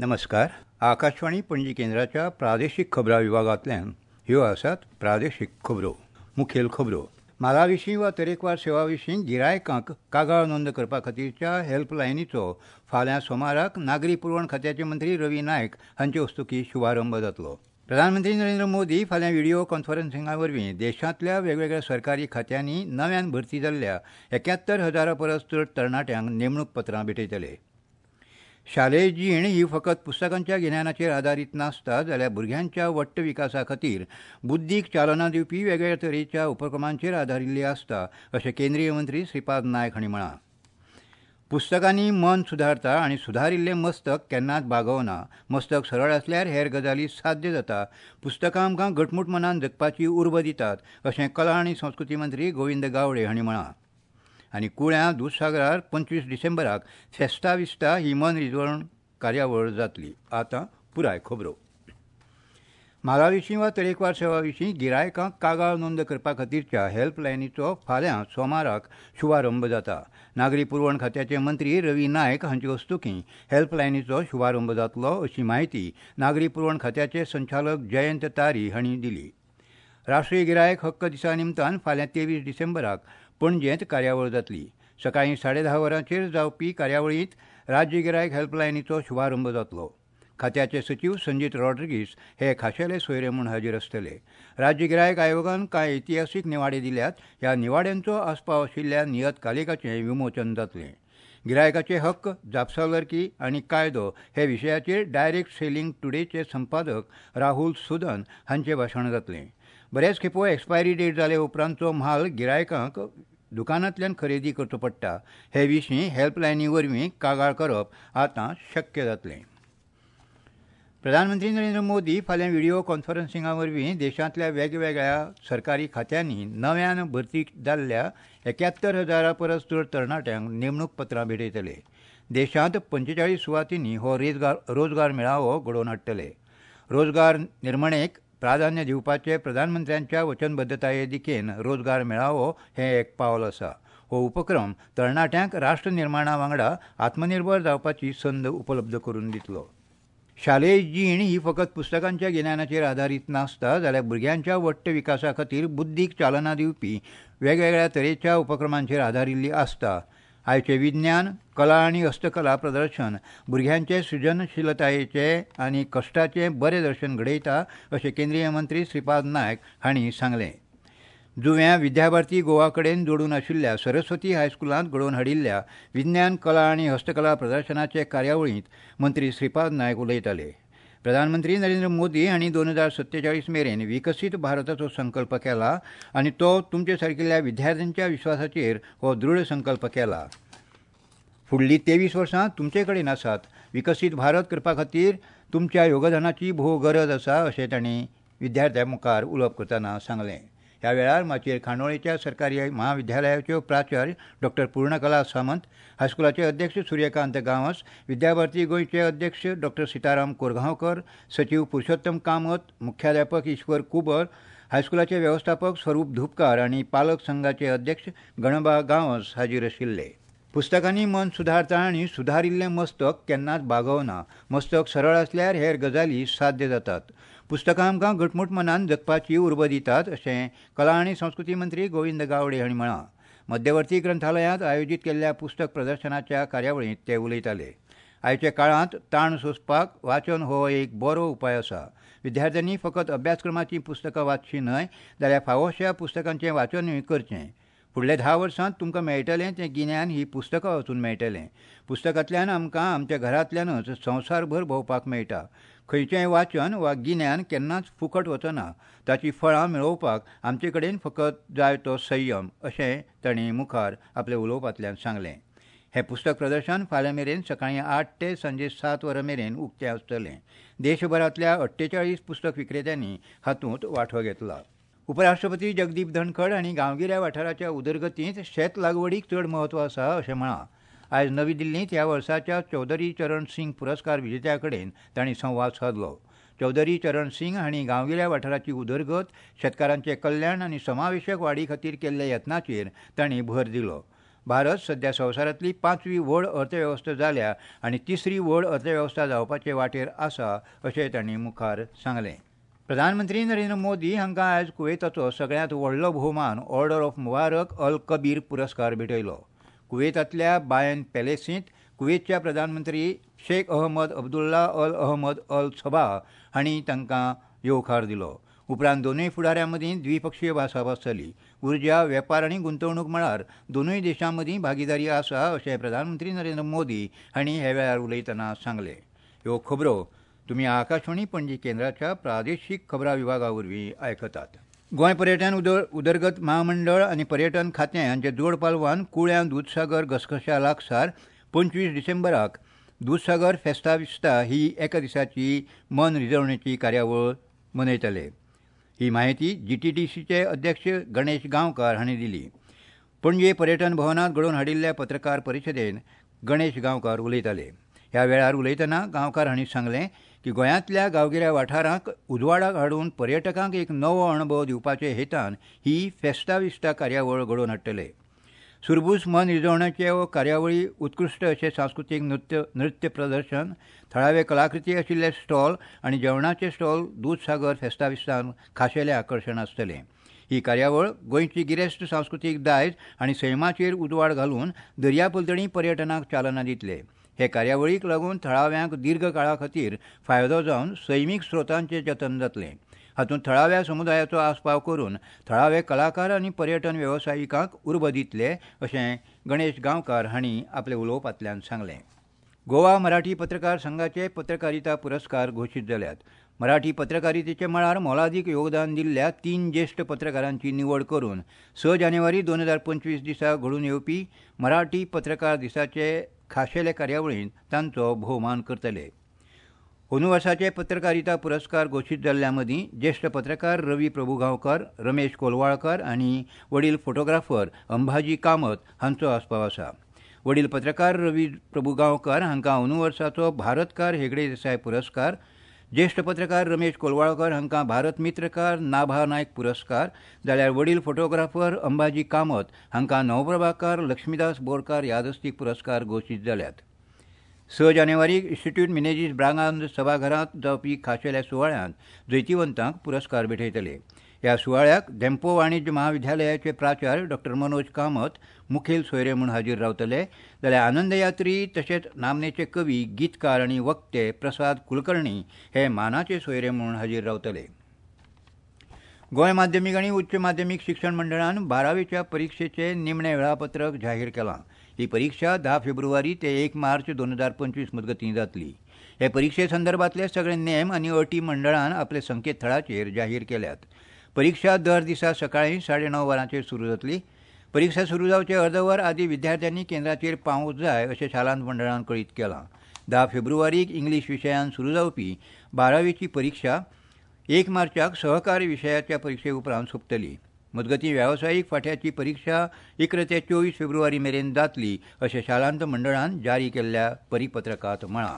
नमस्कार. आकाशवाणी पणजी केंद्राच्या प्रादेशीक खबरां विभागांतल्यान ह्यो आसात प्रादेशीक खबरो. मुखेल खबरो. म्हाला विशीं वा तरेकवार सेवा विशीं गिरायकांक कागाळ नोंद करपा खातीरच्या हेल्पलायनीचो फाल्यां सोमाराक नागरी पुरवण खात्याचे मंत्री रवी नायक हांचे हस्तुकीं शुभारंभ जातलो. प्रधानमंत्री नरेंद्र मोदी फाल्यां व्हिडियो कॉन्फरन्सिंगा वरवीं देशांतल्या वेगवेगळ्या सरकारी खात्यांनी नव्यान भरती जाल्ल्या 71,000 परस चड तरणाट्यांक नेमणूक पत्रां भेटयतले. शालेय जीण ही फकत पुस्तकांच्या गिन्यानाचेर आदारीत नासता, जाल्यार भुरग्यांच्या वट्ट विकासा खातीर बुद्दीक चालना दिवपी वेगवेगळ्या तरेच्या उपक्रमांचेर आदारिल्ली आसता, अशें केंद्रीय मंत्री श्रीपाद नायक हांणी म्हळां. पुस्तकांनी मन सुदारता आनी सुदारिल्लें मस्तक केन्नाच बागवना. मस्तक सरळ आसल्यार हेर गजाली साध्य जाता. पुस्तकां आमकां घटमूट मनान जगपाची उर्बा दितात, अशें कला आनी संस्कृती मंत्री गोविंद गावडे हांणी म्हळां. आनी कुळ्यां दुदसागरार 25 डिसेंबराक फेस्ता विस्ता ही मन रिजवण कार्यावळ जातली. आतां पुराय खबरो. म्हाला विशीं वा तरेकवार सेवा विशीं गिरायकांक कागाळ नोंद करपा खातीरच्या हेल्पलायनीचो फाल्यां सोमाराक शुभारंभ जाता. नागरी पुरवण खात्याचे मंत्री रवी नायक हांचे हस्तुकीं हेल्पलायनीचो शुभारंभ जातलो, अशी म्हायती नागरी पुरवण खात्याचे संचालक जयंत तारी हांणी दिली. राष्ट्रीय गिरायक हक्क दिसा निमतान फाल्यां 23 डिसेंबराक पणजेंत कार्यावळ जातली. सकाळीं 10:30 वरांचेर जावपी कार्यावळींत राज्य गिरायक हेल्पलायनीचो शुभारंभ जातलो. खात्याचे सचीव संजीत रॉड्रिगीस हे खाशेले सोयरे म्हूण हाजीर आसतले. राज्य गिरायक आयोगान कांय इतिहासीक निवाडे दिल्यात. ह्या निवाड्यांचो आस्पाव आशिल्ल्या नियतकालिकाचें विमोचन जातलें. गिरायकाचे हक्क, जापसालदारकी आनी कायदो हे विशयाचेर डायरेक्ट सेलिंग टुडेचे संपादक राहुल सुदन हांचें भाशण जातलें. बऱ्याच खेपो एक्सपायरी डेट जाले उपरांतचो म्हाल गिरायकांक दुकानांतल्यान खरेदी करचो पडटा. हे विशीं हेल्पलायनी वरवीं कागाळ करप आतां शक्य जातलें. प्रधानमंत्री नरेंद्र मोदी फाल्यां व्हिडियो कॉन्फरन्सिंगा वरवीं देशांतल्या वेगवेगळ्या सरकारी खात्यांनी नव्यान भरती जाल्ल्या 71,000 परस चड तरणाट्यांक नेमणूक पत्रां भेटयतले. देशांत 45 सुवातींनी हो रोजगार मेळावो घडोवन हाडटले. रोजगार निर्मणेक प्राधान्य दिवपाचे प्रधानमंत्र्यांच्या वचनबद्धताये दिकेन रोजगार मेळावो हें एक पावल आसा. हो उपक्रम तरणाट्यांक राष्ट्र निर्माणा वांगडा आत्मनिर्भर जावपाची संद उपलब्ध करून दितलो. शालेय जीण ही फकत पुस्तकांच्या गिन्यानाचेर आदारीत नासता, जाल्यार भुरग्यांच्या वट्ट विकासा खातीर बुद्दीक चालना दिवपी वेगवेगळ्या तरेच्या उपक्रमांचेर आदारिल्ली आसता. आयचें विज्ञान, कला आनी हस्तकला प्रदर्शन भुरग्यांचे सृजनशीलतायेचें आनी कश्टाचें बरें दर्शन घडयता, अशें केंद्रीय मंत्री श्रीपाद नायक हांणी सांगलें. जुव्यां विद्याभारती गोवा कडेन जोडून आशिल्ल्या सरस्वती हायस्कुलांत घडोवन हाडिल्ल्या विज्ञान, कला आनी हस्तकला प्रदर्शनाचे कार्यावळींत मंत्री श्रीपाद नायक उलयताले. प्रधानमंत्री नरेंद्र मोदी हांणी 2047 मेरेन विकसीत भारताचो संकल्प केला आनी तो तुमचे सारकिल्ल्या विद्यार्थ्यांच्या विश्वासाचेर हो दृढ संकल्प केला. फुडलीं 23 वर्सां तुमचे कडेन आसात. विकसीत भारत करपा खातीर तुमच्या योगदानाची भोव गरज आसा, अशें तांणी विद्यार्थ्यां मुखार उलोवप करतना सांगलें. ह्या वेळार माचयेर खांडोळेच्या सरकारी महाविद्यालयाच्यो प्राचार्य डॉक्टर पूर्णकला सामंत, हायस्कुलाचे अध्यक्ष सूर्यकांत गांवस, विद्याभारती गोंयचे अध्यक्ष डॉक्टर सीताराम कोरगांवकर, सचीव पुरुषोत्तम कामत, मुख्याध्यापक ईश्वर कुबर, हायस्कुलाचे वेवस्थापक स्वरूप धुपकार आनी पालक संघाचे अध्यक्ष गणबा गांवस हाजीर आशिल्ले. पुस्तकांनी मन सुदारता आनी सुदारिल्लें मस्तक केन्नाच बागवना. मस्तक सरळ आसल्यार हेर गजाली साध्य जातात. पुस्तकां आमकां घटमूट मनान जगपाची उर्बा दितात, अशें कला आनी संस्कृती मंत्री गोविंद गावडे हांणी म्हळां. मध्यवर्ती ग्रंथालयांत आयोजीत केल्ल्या पुस्तक प्रदर्शनाच्या कार्यावळींत ते उलयताले. आयच्या काळांत ताण सोंसपाक वाचन हो एक बरो उपाय आसा. विद्यार्थ्यांनी फकत अभ्यासक्रमाचीं पुस्तकां वाचचीं न्हय, जाल्यार फावोश्या पुस्तकांचें वाचनूय करचें. फुडल्या 10 वर्सांत तुमकां मेळटलें तें गिन्यान ही पुस्तकां वाचून मेळटलें. पुस्तकांतल्यान आमकां आमच्या घरांतल्यानच संवसारभर भोंवपाक मेळटा. खंयचेंय वाचन वा गिन्यान केन्नाच फुकट वचना. ताचीं फळां मेळोवपाक आमचे कडेन फकत जाय तो संयम, अशें तांणी मुखार आपल्या उलोवपांतल्यान सांगलें. हें पुस्तक प्रदर्शन फाल्यां मेरेन सकाळीं 8 ते सांजे 7 वरां मेरेन उक्तें आसतलें. देशभरांतल्या 48 पुस्तक विक्रेत्यांनी हातूंत वांटो घेतला. उपराष्ट्रपती जगदीप धनखड हांणी गांवगिऱ्या वाठाराच्या उदरगतींत शेत लागवडीक चड म्हत्व आसा अशें म्हळां. आयज नवी दिल्लींत ह्या वर्साच्या चौधरी चरण सिंग पुरस्कार विजेत्या कडेन तांणी संवाद सादलो. चौधरी चरण सिंग हांणी गांवगिऱ्या वाठाराची उदरगत, शेतकारांचें कल्याण आनी समावेशक वाडी खातीर केल्ल्या यत्नाचेर तांणी भर दिलो. भारत सध्या संवसारांतली 5वी व्हड अर्थवेवस्था जाल्या आनी 3री व्हड अर्थवेवस्था जावपाचे वाटेर आसा अशें तांणी मुखार सांगलें. प्रधानमंत्री नरेंद्र मोदी हांकां आयज कुवेताचो सगळ्यांत व्हडलो भोवमान ऑर्डर ऑफ मुबारक अल कबीर पुरस्कार भेटयलो. कुवेतांतल्या बायन पॅलेसींत कुवेतच्या प्रधानमंत्री Sheikh Ahmad Abdullah Al Ahmad Al Sabah हांणी तांकां येवकार दिलो. उपरांत दोनूय फुडाऱ्यां मदीं द्विपक्षीय भासाभास जाली. उर्जा, वेपार आनी गुंतवणूक मळार दोनूय देशां मदीं भागीदारी आसा अशें प्रधानमंत्री नरेंद्र मोदी हांणी ह्या वेळार उलयतना सांगलें. ह्यो खबरो तुमी आकाशवाणी पणजी केंद्राच्या प्रादेशीक खबरां विभागा वरवीं आयकतात. गोंय पर्यटन उदरगत महामंडळ आनी पर्यटन खातें हांच्या जोड पालवान कुळ्यां दुदसागर घसघश्या लागसार 25 डिसेंबराक दुदसागर फेस्ता विस्ता ही एका दिसाची मन रिजवणेची कार्यावळ मनयतले. ही म्हायती जीटीडीसीचे अध्यक्ष गणेश गांवकार हांणी दिली. पणजे पर्यटन भवनांत घडोवन हाडिल्ल्या पत्रकार परिशदेन गणेश गांवकार उलयताले. ह्या वेळार उलयतना गांवकार हांणी सांगलें की गोंयांतल्या गांवगिऱ्या वाठारांक उजवाडाक हाडून पर्यटकांक एक नवो अणभव दिवपाचे हेतान ही फेस्ता विस्ता कार्यावळ घडोवन हाडटले. सुरबूस मन रिजवण्याचे कार्यावळी उत्कृश्ट अशें सांस्कृतीक नृत्य प्रदर्शन, थळावे कलाकृती आशिल्ले स्टॉल आनी जेवणाचे स्टॉल दुदसागर फेस्ता विस्तान खाशेलें आकर्शण आसतलें. ही कार्यावळ गोंयची गिरेस्त सांस्कृतीक दायज आनी सैमाचेर उजवाड घालून दर्या पलतडी पर्यटनाक चालना दितले. हे कार्यावळीक लागून थळाव्यांक दीर्घ काळा खातीर फायदो जावन सैमीक स्रोतांचें जतन जातलें. हातूंत थळाव्या समुदायाचो आस्पाव करून थळावे कलाकार आनी पर्यटन वेवसायिकांक उर्बा दितले अशें गणेश गांवकार हांणी आपल्या उलोवपांतल्यान सांगलें. गोवा मराठी पत्रकार संघाचे पत्रकारिता पुरस्कार घोशीत जाल्यात. मराठी पत्रकारितेच्या मळार मोलादीक योगदान दिल्ल्या 3 ज्येश्ठ पत्रकारांची निवड करून 6 जानेवारी 2025 दिसा घडून येवपी मराठी पत्रकार दिसाचे खाशेले कार्यावळींत तांचो भोवमान करतले. अंदू वर्साचे पत्रकारिता पुरस्कार घोशीत जाल्ल्या मदीं ज्येश्ठ पत्रकार रवी प्रभुगांवकर, रमेश कोलवाळकर आनी वडील फोटोग्राफर अंबाजी कामत हांचो आस्पाव आसा. वडील पत्रकार रवी प्रभुगांवकर हांकां अंदू वर्साचो भारतकार हेगडे देसाय पुरस्कार, ज्येश्ठ पत्रकार रमेश कोलवाळकर हांकां भारत मित्रकार नाभा नायक पुरस्कार, जाल्यार वडील फोटोग्राफर अंबाजी कामत हांकां नवप्रभाकार लक्ष्मीदास बोरकार यादस्तीक पुरस्कार घोशीत जाल्यात. 6 जानेवारीक इन्स्टिट्यूट मिनेजीस ब्रागांझ सभाघरांत जावपी खाशेल्या सुवाळ्यांत जैतिवंतांक पुरस्कार भेटयतले. ह्या सुवाळ्याक धेंपो वाणिज्य महाविद्यालयाचे प्राचार्य डॉ मनोज कामत मुखेल सोयरे म्हूण हाजीर रावतले, जाल्यार आनंदयात्री तशेंच नामनेचे कवी, गीतकार आनी वक्ते प्रसाद कुलकर्णी हे मानाचे सोयरे म्हूण हाजीर रावतले. गोंय माध्यमीक आनी उच्च माध्यमीक शिक्षण मंडळान 12वीच्या परिक्षेचें निमणें वेळापत्रक जाहीर केलां. ही परिक्षा 10 फेब्रुवारी ते 1 मार्च 2025 मजगतीं जातली. हे परिक्षे संदर्भातले सगळे नेम आनी अटी मंडळान आपल्या संकेतथळाचेर जाहीर केल्यात. परिक्षा दर दिसा सकाळीं 9:30 वरांचेर सुरू जातली. परिक्षा सुरू जावचे अर्द वर आदी विद्यार्थ्यांनी केंद्राचेर पावूंक जाय अशें शालांत मंडळान कळीत केलां. 10 फेब्रुवारीक इंग्लीश विशयान सुरू जावपी 12वीची परिक्षा 1 मार्चाक सहकारी विशयाच्या परिक्षे उपरांत सोंपतली. मजगतीं वेवसायीक फांट्याची परिक्षा 11 ते 24 फेब्रुवारी मेरेन जातली अशें शालांत मंडळान जारी केल्ल्या परिपत्रकांत म्हळां.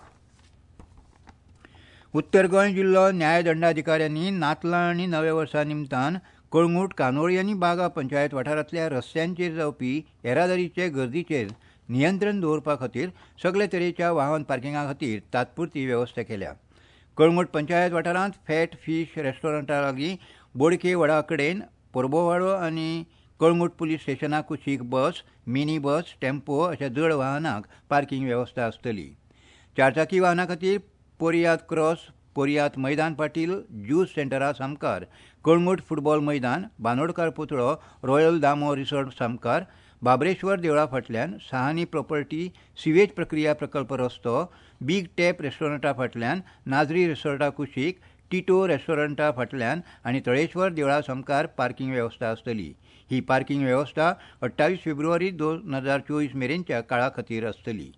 उत्तर गोंय जिल्लो न्यायदंडाधिकाऱ्यांनी नातलां आनी नव्या वर्सा निमतान कळंगूट, कानोळी आनी बागा पंचायत वाठारांतल्या रस्त्यांचेर जावपी येरादारीचे गर्दीचेर नियंत्रण दवरपा खातीर सगळे तरेच्या वाहन पार्किंगा खातीर तात्पुरती वेवस्था केल्या. कळंगूट पंचायत वाठारांत फॅट फीश रेस्टॉरंटा लागीं बोडके वडा कडेन पोरबोवाडो आनी कळंगूट पुलीस स्टेशना कुशीक बस, मिनी बस, टेम्पो अशा जड वाहनांक पार्किंग वेवस्था आसतली. चारचाकी वाहनां खातीर पोरियात क्रॉस, पोरियात मैदान पाटील, ज्यूस सेंटरा सामकार, कळंगूट फुटबॉल मैदान, बानोडकार पुतळो, रॉयल दामो रिसॉर्ट सामकार, बाबरेश्वर देवळा फाटल्यान, सहानी प्रॉपर्टी, सिवेज प्रक्रिया प्रकल्प रस्तो, बीग टॅप रेस्टॉरंटा फाटल्यान, नाजरी रिसॉर्टा कुशीक, टिटो रेस्टॉरंटा फाटल्यान आनी तळेश्वर देवळा सामकार पार्किंग वेवस्था आसतली. ही पार्किंग वेवस्था 28 फेब्रुवारी 2024 मेरेनच्या काळा खातीर आसतली.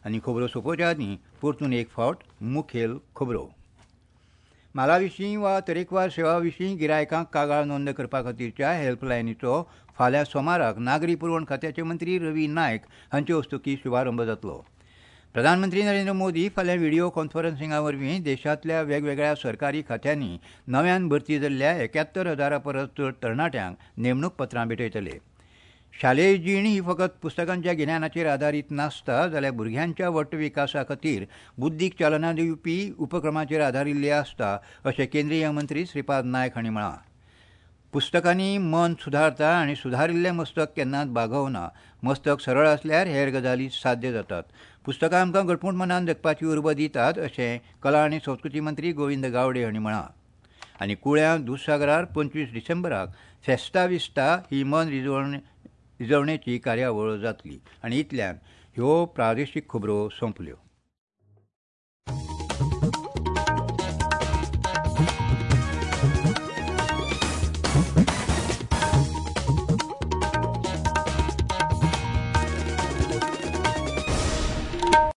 आनी खबरो सोंपोवच्या आदीं परतून एक फावट मुखेल खबरो. म्हाला विशीं वा तरेकवार सेवा विशीं गिरायकांक कागाळ नोंद करपा खातीरच्या हेल्पलायनीचो फाल्यां सोमाराक नागरी पुरवण खात्याचे मंत्री रवी नायक हांचे हस्तुकीं शुभारंभ जातलो. प्रधानमंत्री नरेंद्र मोदी फाल्यां व्हिडिओ कॉन्फरन्सिंगा वरवीं देशांतल्या वेगवेगळ्या सरकारी खात्यांनी नव्यान भरती जाल्ल्या 71,000 परस चड तरणाट्यांक नेमणूक पत्रां भेटयतले. शालेय जीण ही फकत पुस्तकांच्या गिन्यानाचेर आदारीत नासता, जाल्यार भुरग्यांच्या वट्ट विकासा खातीर बुद्दीक चालना दिवपी उपक्रमाचेर आदारिल्ली आसता अशें केंद्रीय मंत्री श्रीपाद नायक हांणी म्हळां. पुस्तकांनी मन सुदारता आनी सुदारिल्लें मस्तक केन्नाच बागवना. मस्तक सरळ आसल्यार हेर गजाली साध्य जातात. पुस्तकां आमकां घटमूट मनान जगपाची उर्बा दितात अशें कला आनी संस्कृती मंत्री गोविंद गावडे हांणी म्हळां. आनी कुळ्यां दुदसागरार 25 डिसेंबराक फेस्ता विस्ता ही मन रिजवणेची कार्यावळ जातली. आनी इतल्यान ह्यो प्रादेशीक खबरो सोंपल्यो.